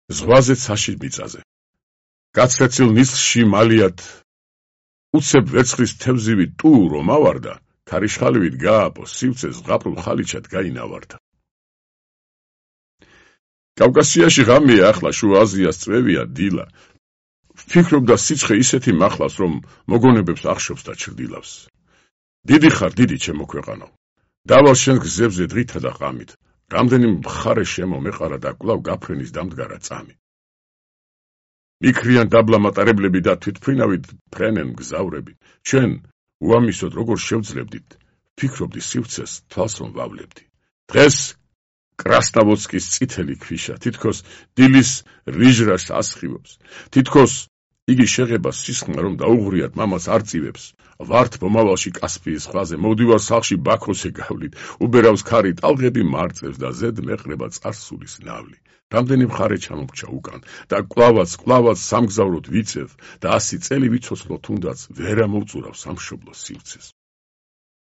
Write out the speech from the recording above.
ზღვაზე ცაში მიწაზე. გაცრეცილ ნისლში მალიათ, უცებ ვერცხლის თევზივი ტუ რომ ავარდა, ქარიშხალივით გააპო, სივცეს ზღაპრულ ხალიჩად გაინავარდა. კავკასიაში ღამეა ახლა, შუა აზიას წვევია დილა. ვფიქრობდა სიცხე ისეთი მახლავს, რომ მოგონებებს ახშობს და ჩრდილავს. დიდი ხარ, დიდი ჩემო ქვეყანო. დავალ შენ გზებზე დღითა და ღამით. რამდენი მხარე შემომეყარა და კვლავ გაფრენის დამდგარა წამი. მიქრიან დაბლა მატარებლები და თვითმფრინავით ფრენენ მგზავრები. ჩვენ უამისოდ როგორ შევძლებდით, ვფიქრობდი სივცეს თვალს რომ ვავლებდი. დღეს კრასნავოცკის წითელი ქვიშა, თითქოს დილის რიჟრას ასხივებს, თითქოს იგი შეღება სისხლმა რომ დაუღრიათ მამას არ წივებს. ვართ მომავალში კასპიის ზღვაზე, მოვდივარ სახლში ბაქოსე გავლით, უბერავს ქარი ტალღები მარწევს და ზედ მეყრება წარსულის ნავლი. რამდენი მხარე ჩამომრჩა უკან და კლავაც სამგზავროდ ვიწევ და 100 წელი ვიცოცხლო თუნდაც ვერ ამოვწურავ სამშობლოს სივცეს.